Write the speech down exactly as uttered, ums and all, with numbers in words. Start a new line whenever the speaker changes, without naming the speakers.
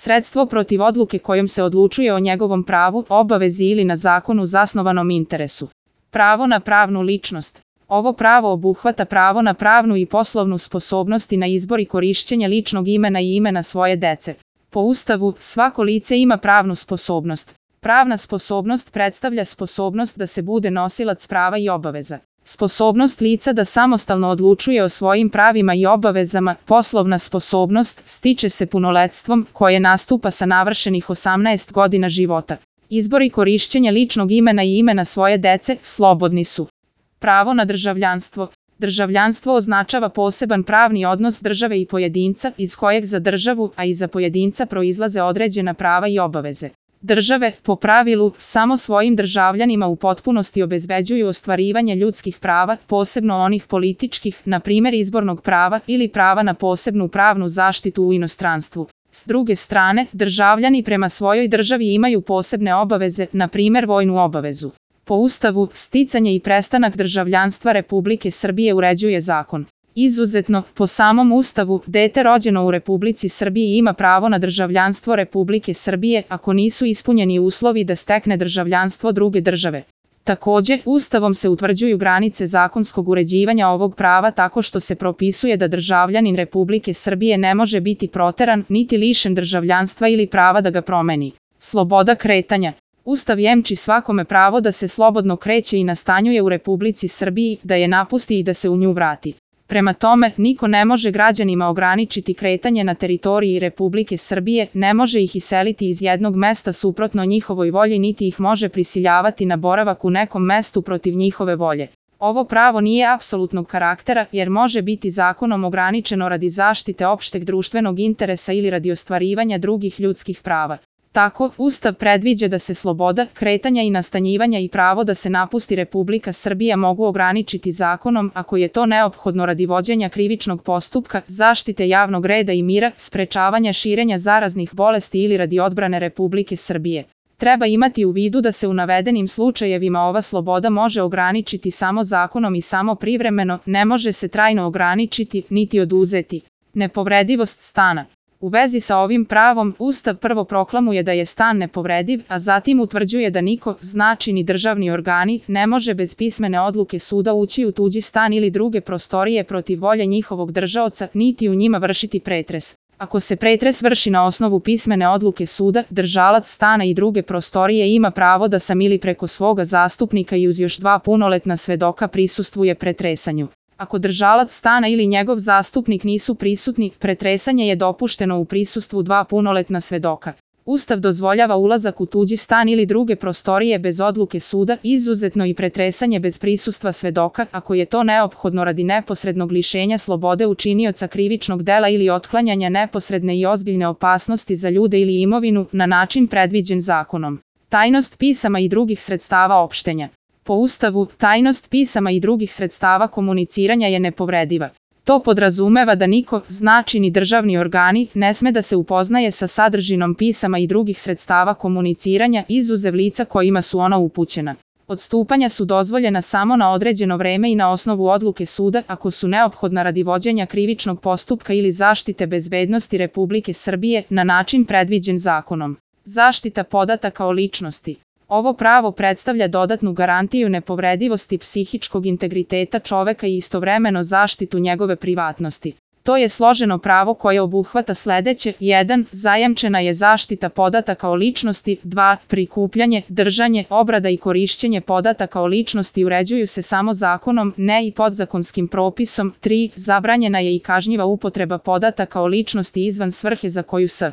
sredstvo protiv odluke kojom se odlučuje o njegovom pravu, obavezi ili na zakonu zasnovanom interesu. Pravo na pravnu ličnost. Ovo pravo obuhvata pravo na pravnu i poslovnu sposobnost i na izbor i korišćenje ličnog imena i imena svoje dece. Po Ustavu, svako lice ima pravnu sposobnost. Pravna sposobnost predstavlja sposobnost da se bude nosilac prava i obaveza. Sposobnost lica da samostalno odlučuje o svojim pravima i obavezama, poslovna sposobnost, stiče se punoletstvom, koje nastupa sa navršenih osamnaest godina života. Izbor i korišćenje ličnog imena i imena svoje dece slobodni su. Pravo na državljanstvo. Državljanstvo označava poseban pravni odnos države i pojedinca, iz kojeg za državu, a i za pojedinca proizlaze određena prava i obaveze. Države, po pravilu, samo svojim državljanima u potpunosti obezbeđuju ostvarivanje ljudskih prava, posebno onih političkih, na primjer izbornog prava ili prava na posebnu pravnu zaštitu u inostranstvu. S druge strane, državljani prema svojoj državi imaju posebne obaveze, na primjer vojnu obavezu. Po Ustavu, sticanje i prestanak državljanstva Republike Srbije uređuje zakon. Izuzetno, po samom Ustavu, dete rođeno u Republici Srbiji ima pravo na državljanstvo Republike Srbije ako nisu ispunjeni uslovi da stekne državljanstvo druge države. Također, Ustavom se utvrđuju granice zakonskog uređivanja ovog prava tako što se propisuje da državljanin Republike Srbije ne može biti proteran, niti lišen državljanstva ili prava da ga promeni. Sloboda kretanja. Ustav jemči svakome pravo da se slobodno kreće i nastanjuje u Republici Srbiji, da je napusti i da se u nju vrati. Prema tome, niko ne može građanima ograničiti kretanje na teritoriji Republike Srbije, ne može ih iseliti iz jednog mesta suprotno njihovoj volji niti ih može prisiljavati na boravak u nekom mestu protiv njihove volje. Ovo pravo nije apsolutnog karaktera jer može biti zakonom ograničeno radi zaštite opšteg društvenog interesa ili radi ostvarivanja drugih ljudskih prava. Tako, Ustav predviđa da se sloboda kretanja i nastanjivanja i pravo da se napusti Republika Srbija mogu ograničiti zakonom ako je to neophodno radi vođenja krivičnog postupka, zaštite javnog reda i mira, sprečavanja širenja zaraznih bolesti ili radi odbrane Republike Srbije. Treba imati u vidu da se u navedenim slučajevima ova sloboda može ograničiti samo zakonom i samo privremeno, ne može se trajno ograničiti, niti oduzeti. Nepovredivost stana. U vezi sa ovim pravom, Ustav prvo proklamuje da je stan nepovrediv, a zatim utvrđuje da niko, znači ni državni organi, ne može bez pismene odluke suda ući u tuđi stan ili druge prostorije protiv volje njihovog držaoca, niti u njima vršiti pretres. Ako se pretres vrši na osnovu pismene odluke suda, držalac stana i druge prostorije ima pravo da sam ili preko svoga zastupnika i uz još dva punoletna svedoka prisustvuje pretresanju. Ako držalac stana ili njegov zastupnik nisu prisutni, pretresanje je dopušteno u prisustvu dva punoletna svedoka. Ustav dozvoljava ulazak u tuđi stan ili druge prostorije bez odluke suda, izuzetno i pretresanje bez prisustva svedoka, ako je to neophodno radi neposrednog lišenja slobode učinioca krivičnog dela ili otklanjanja neposredne i ozbiljne opasnosti za ljude ili imovinu, na način predviđen zakonom. Tajnost pisama i drugih sredstava opštenja. Po Ustavu, tajnost pisama i drugih sredstava komuniciranja je nepovrediva. To podrazumeva da niko, znači ni državni organi, ne sme da se upoznaje sa sadržinom pisama i drugih sredstava komuniciranja izuzev lica kojima su ona upućena. Odstupanja su dozvoljena samo na određeno vreme i na osnovu odluke suda ako su neophodna radi vođenja krivičnog postupka ili zaštite bezbednosti Republike Srbije na način predviđen zakonom. Zaštita podataka o ličnosti. Ovo pravo predstavlja dodatnu garantiju nepovredivosti psihičkog integriteta čoveka i istovremeno zaštitu njegove privatnosti. To je složeno pravo koje obuhvata sledeće: jedan. Zajamčena je zaštita podataka o ličnosti. dva. Prikupljanje, držanje, obrada i korišćenje podataka o ličnosti uređuju se samo zakonom, ne i podzakonskim propisom. tri. Zabranjena je i kažnjiva upotreba podataka o ličnosti izvan svrhe za koju s